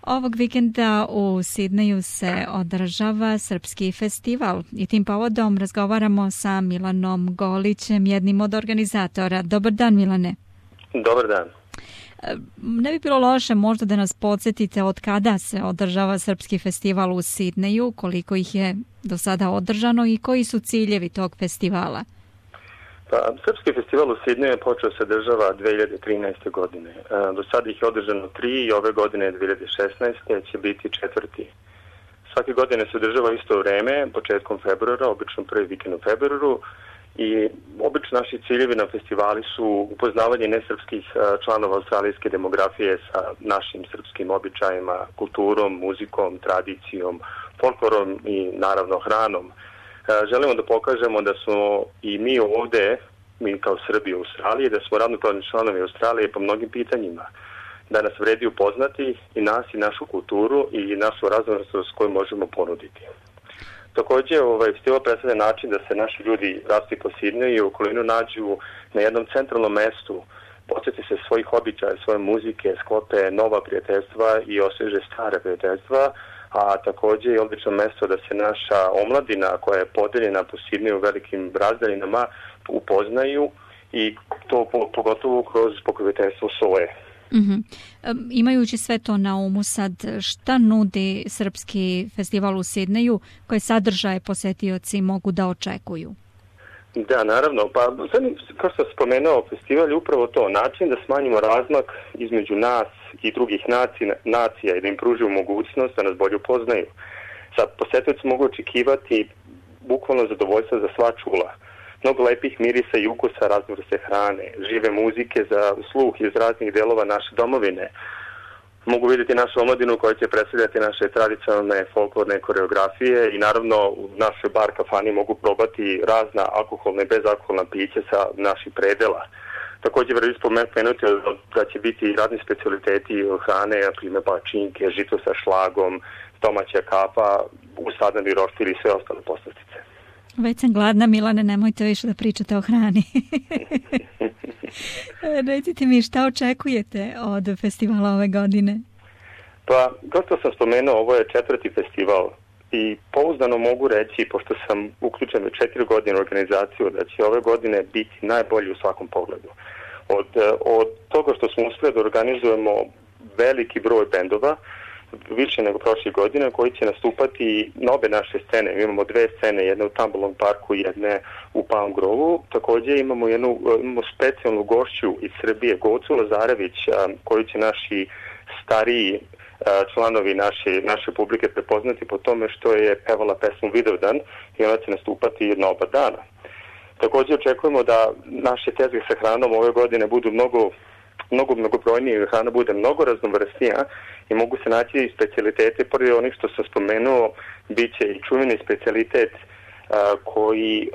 Ovog vikenda u Sidneju se održava Srpski festival i tim povodom razgovaramo sa Milanom Golićem, jednim od organizatora. Dobar dan, Milane. Dobar dan. Ne bi bilo loše možda da nas podsjetite od kada se održava Srpski festival u Sidneju, koliko ih je do sada održano i koji su ciljevi tog festivala? Srpski festival u Sidneju je počeo se održava 2013. godine. Do sada ih je održano 3 i ove godine 2016. će biti 4. Svake godine se održava isto vreme, početkom februara, obično prvi vikend u februaru, i obično naši ciljevi na festivali su upoznavanje nesrpskih članova australijske demografije sa našim srpskim običajima, kulturom, muzikom, tradicijom, folklorom i naravno hranom. Želimo da pokažemo da smo i mi ovde, mi kao Srbi u Australiji, da smo ravnopravni članovi Australije po mnogim pitanjima. Da nas vredi upoznati i nas i našu kulturu i našu raznovrsnost koju možemo ponuditi. Također, festival predstavlja način da se naši ljudi rastu po Sidneju i u okolinu nađu na jednom centralnom mestu, podsjeti se svojih običaja, svoje muzike, sklope nova prijateljstva i osveže stare prijateljstva, a također je odlično mesto da se naša omladina koja je podeljena po Sidneju u velikim razdaljinama upoznaju i to pogotovo kroz pokroviteljstvo SOE. Imajući sve to na umu sad, šta nudi Srpski festival u Sidneju, koje sadržaje posetioci mogu da očekuju? Da, naravno. Pa, kao što sam spomenuo, festival je upravo to, način da smanjimo razmak između nas i drugih nacija i da im pružimo mogućnost da nas bolje upoznaju. Sad, posetioci mogu očekivati bukvalno zadovoljstvo za sva čula. Mnogo lepih mirisa i ukusa, raznovrste hrane, žive muzike za sluh iz raznih delova naše domovine. Mogu vidjeti našu omladinu koja će predstavljati naše tradicionalne folklorne koreografije i naravno u našoj bar kafani mogu probati razna alkoholna i bezalkoholna pića sa naših predela. Također vredi spomenuti da će biti razni specialiteti hrane, na primjer palačinke, žito sa šlagom, domaća kapa, usadani roštilj i sve ostale poslastice. Već sam gladna, Milane, nemojte više da pričate o hrani. Recite mi, šta očekujete od festivala ove godine? Pa, kao što sam spomenuo, ovo je 4. festival i pouzdano mogu reći, pošto sam uključen već 4 godine u organizaciju, da će ove godine biti najbolji u svakom pogledu. Od toga što smo uspjeli da organizujemo veliki broj bendova, više nego prošle godine, koji će nastupati na obe naše scene. Imamo 2 scene, jedna u Tambalong parku i jedne u Palm Grovu. Također imamo specijalnu gošću iz Srbije, Gocu Lazarević, koju će naši stariji članovi naše publike prepoznati po tome što je pevala pesmu Vidovdan i ona će nastupati na oba dana. Također očekujemo da naše tezge sa hranom ove godine budu mnogobrojnije, hrana bude mnogo raznovrsnija i mogu se naći i specijalitete, pored onih što sam spomenuo, bit će i čuveni specijalitet koji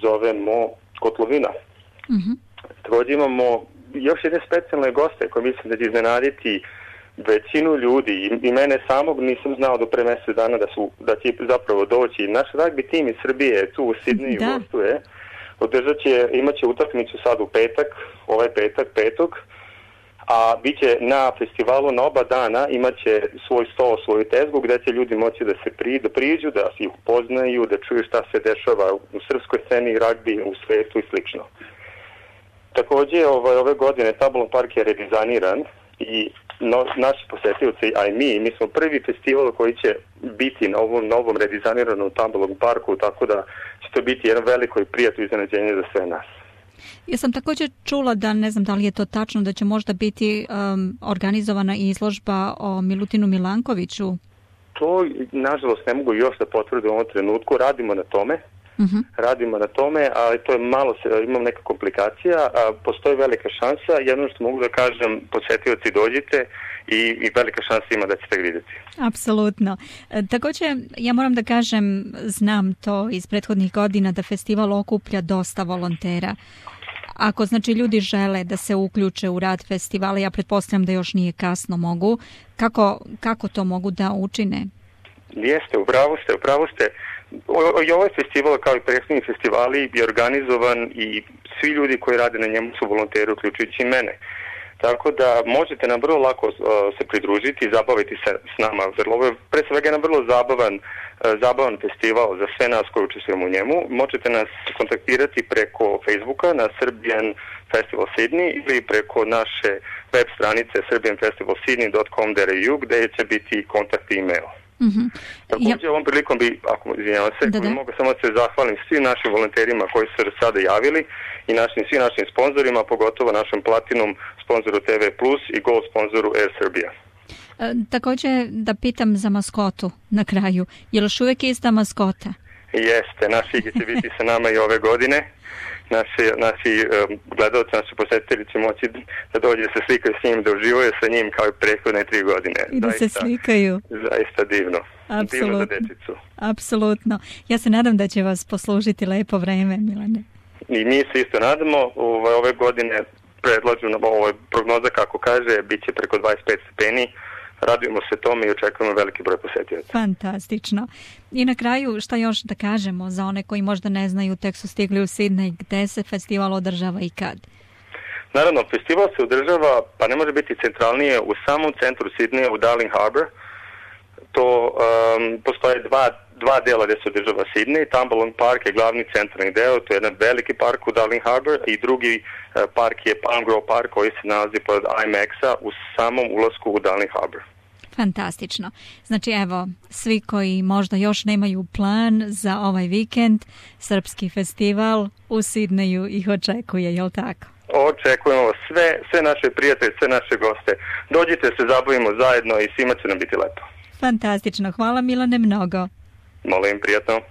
zovemo kotlovina. Također imamo još jedne specijalne goste koje mislim da će iznenaditi većinu ljudi i mene samog nisam znao do pre mjesec dana da će zapravo doći. Naš ragbi tim iz Srbije tu u Sidneju gostuje. Imaće utakmicu sad u petak, ovaj petak, 5. A bit će na festivalu na oba dana, imaće svoj stol, svoju tezgu gdje će ljudi moći da se priđu, da se ih upoznaju, da čuju šta se dešava u srpskoj sceni, ragbi, u svetu i slično. Također ove godine Tambalong park je redizajniran i naši posetioci, a i mi smo prvi festival koji će biti na ovom novom redizajniranom Tambalong parku, tako da će to biti jedno veliko i prijatno iznenađenje za sve nas. Ja sam također čula da, ne znam da li je to tačno, da će možda biti organizovana izložba o Milutinu Milankoviću. To, nažalost, ne mogu još da potvrdim u ovom trenutku. Radimo na tome, ali to je malo, imam neka komplikacija, postoji velika šansa. Jedno što mogu da kažem, posetioci dođite i velika šansa ima da ćete vidjeti. Apsolutno. Također, ja moram da kažem, znam to iz prethodnih godina da festival okuplja dosta volontera. Ako znači ljudi žele da se uključe u rad festivala, ja pretpostavljam da još nije kasno mogu, kako to mogu da učine? Jeste, upravo ste. I ovaj festival kao i prethodni festivali je organizovan i svi ljudi koji rade na njemu su volonteri, uključujući i mene. Tako da možete nam vrlo lako se pridružiti i zabaviti se s nama. Ovo je pre svega jedan vrlo zabavan festival za sve nas koji učestvujemo u njemu. Možete nas kontaktirati preko Facebooka na Serbian Festival Sydney ili preko naše web stranice serbianfestivalsydney.com.au gde će biti kontakt i e-mail. Također ovom prilikom bi, ako izvinjavam se, mogu samo se zahvalim svim našim volonterima koji su sada javili i svim našim sponzorima, pogotovo našem Platinum sponzoru TV Plus i Gold sponzoru Air Serbia. Također da pitam za maskotu na kraju. Je li još uvijek ista maskota? Jeste, naš Igi će biti sa nama i ove godine. Naši gledalci, naši posjetitelji će moći da dođe se slikaju s njim, da uživaju sa njim kao i prethodne 3 godine. I da se slikaju. Zaista divno. Apsolutno. Divno za dečicu. Apsolutno. Ja se nadam da će vas poslužiti lepo vreme, Milane. I mi se isto nadamo. Ove godine predlažu, prognoza kako kaže, bit će preko 25 stepeni. Radujemo se tome i očekujemo veliki broj posjetioca. Fantastično. I na kraju, šta još da kažemo za one koji možda ne znaju, tek su stigli u Sidney, gde se festival održava i kad? Naravno, festival se održava, pa ne može biti centralnije, u samom centru Sidneja, u Darling Harbour. To postoje dva dela gde se održava Sidney. Tumbalong Park je glavni centralni deo, to je jedan veliki park u Darling Harbour i drugi park je Palm Grove Park koji se nalazi pod IMAX-a u samom ulasku u Darling Harbour. Fantastično. Znači evo, svi koji možda još nemaju plan za ovaj vikend, Srpski festival u Sidneju ih očekuje, je li tako? Očekujemo sve naše prijatelje, sve naše goste. Dođite se, zabavimo zajedno i svima će nam biti lepo. Fantastično. Hvala Milane mnogo. Molim, prijatno.